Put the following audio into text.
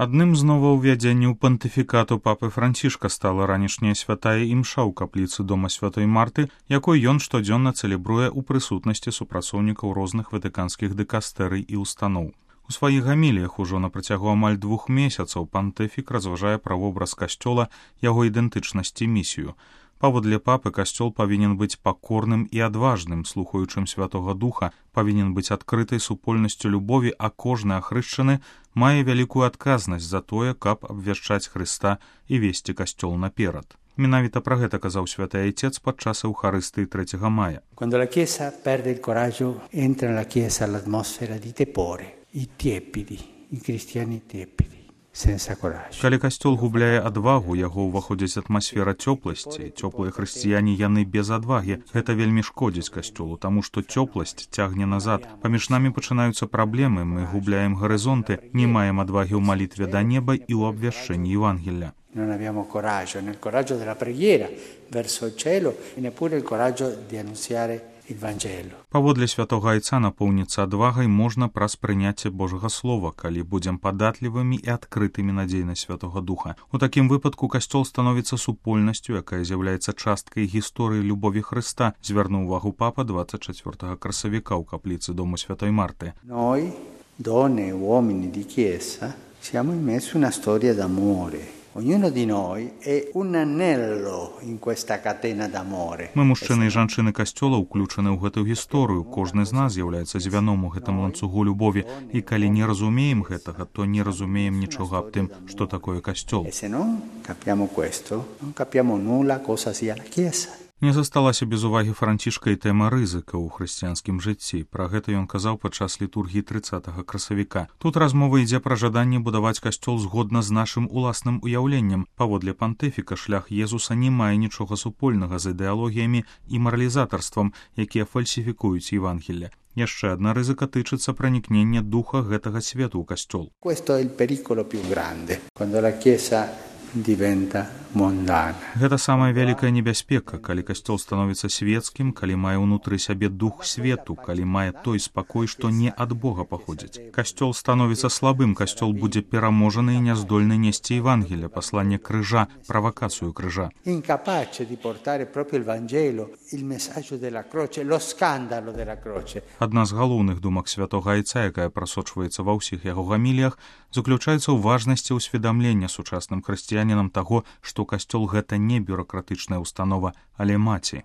Адным з новаўвядзенняў пантыфікату папы Францішка стала ранішняя святая імша ў капліцы дома святой Марты, якой ён штодзённа цэлебруе ў прысутнасці супрацоўнікаў розных ватыканскіх дыкастэрый і устаноў. У сваіх гаміліях ужо на працягу амаль 2 месяцаў пантыфік разважае пра вобраз касцёла, яго ідэнтычнасць і місію. Паводле папы касцёл павінен быць пакорным і адважным, слухаючым Святога Духа, павінен быць адкрытай супольнасцю любові, а кожны ахрышчаны мае вялікую адказнасць за тое, каб абвяшчаць Хрыста і весці касцёл наперад. Менавіта пра гэта казаў святы айцец падчас Еўхарыстыі 3 мая. Quando la Chiesa perde il coraggio, entra nella Chiesa l'atmosfera di tepore, i tiepidi, i cristiani tiepidi. Калі касцёл губляе адвагу, яго ўваходзіць атмасфера цёпласці. Цёплыя хрысціяне яны без адвагі. Гэта вельмі шкодзіць касцёлу, таму што цёпласць цягне назад. Паміж намі пачынаюцца праблемы, мы губляем гарызонты, не маем адвагі ў малітве да неба і ў абвяшчэнні Евангелля. Non abbiamo coraggio, nel coraggio della preghiera verso il cielo e neppure il coraggio di annunziare il Vangelo. Паводле святога айца напоўніцца адвагай можна праз прыняцце Божага слова, калі будзем падатлівымі і адкрытымі на дзейнасць Святога Духа. У такім выпадку касцёл становіцца супольнасцю, якая з'яўляецца часткай гісторыі любові Хрыста, звярнуў увагу папа 24 красавіка ў капліцы дому святой Марты. Noi, donne e uomini di Chiesa, siamo immersi in una storia d'amore. Ognuno di noi è un anello in questa catena d'amore. Мы, мужчыны і жанчыны касцёла, уключаны ў гэтую гісторыю. Кожны з нас з'яўляецца звяном у гэтым ланцугу любові. І калі не разумеем гэтага, то не разумеем нічога аб тым, што такое касцёл. E se non capiamo questo, non capiamo nulla cosa sia la Chiesa. Не засталася без увагі Францішка і тэма рызыка ў хрысціянскім жыцці. Пра гэта ён казаў падчас літургіі 30 красавіка. Тут размова ідзе пра жаданне будаваць касцёл згодна з нашым уласным уяўленнем. Паводле пантыфіка шлях Езуса не мае нічога супольнага з ідэалогіямі і маралізатарствам, якія фальсіфікуюць Евангелле. Яшчэ адна рызыка тычыцца пранікнення духа гэтага свету ў касцёл. Questo è il pericolo più grande, quando la Chiesa diventa mondana. Гэта самая вялікая небяспека, калі касцёл становіцца свецкім, калі мае ўнутры сябе дух свету, калі мае той спакой, што не ад Бога паходзіць. Касцёл становіцца слабым, касцёл будзе пераможаны і няздольны несці Евангелля, пасланне крыжа, правакацыю крыжа. Incapace di portare proprio il Vangelo, il messaggio della croce, lo scandalo della croce. Адна з галоўных думак святога айца, якая прасочваецца ва ўсіх яго гаміліях, заключаецца ў важнасці ўсведамлення сучасным хрысціянінам таго, што касцёл гэта не бюракратычная установа, але маці.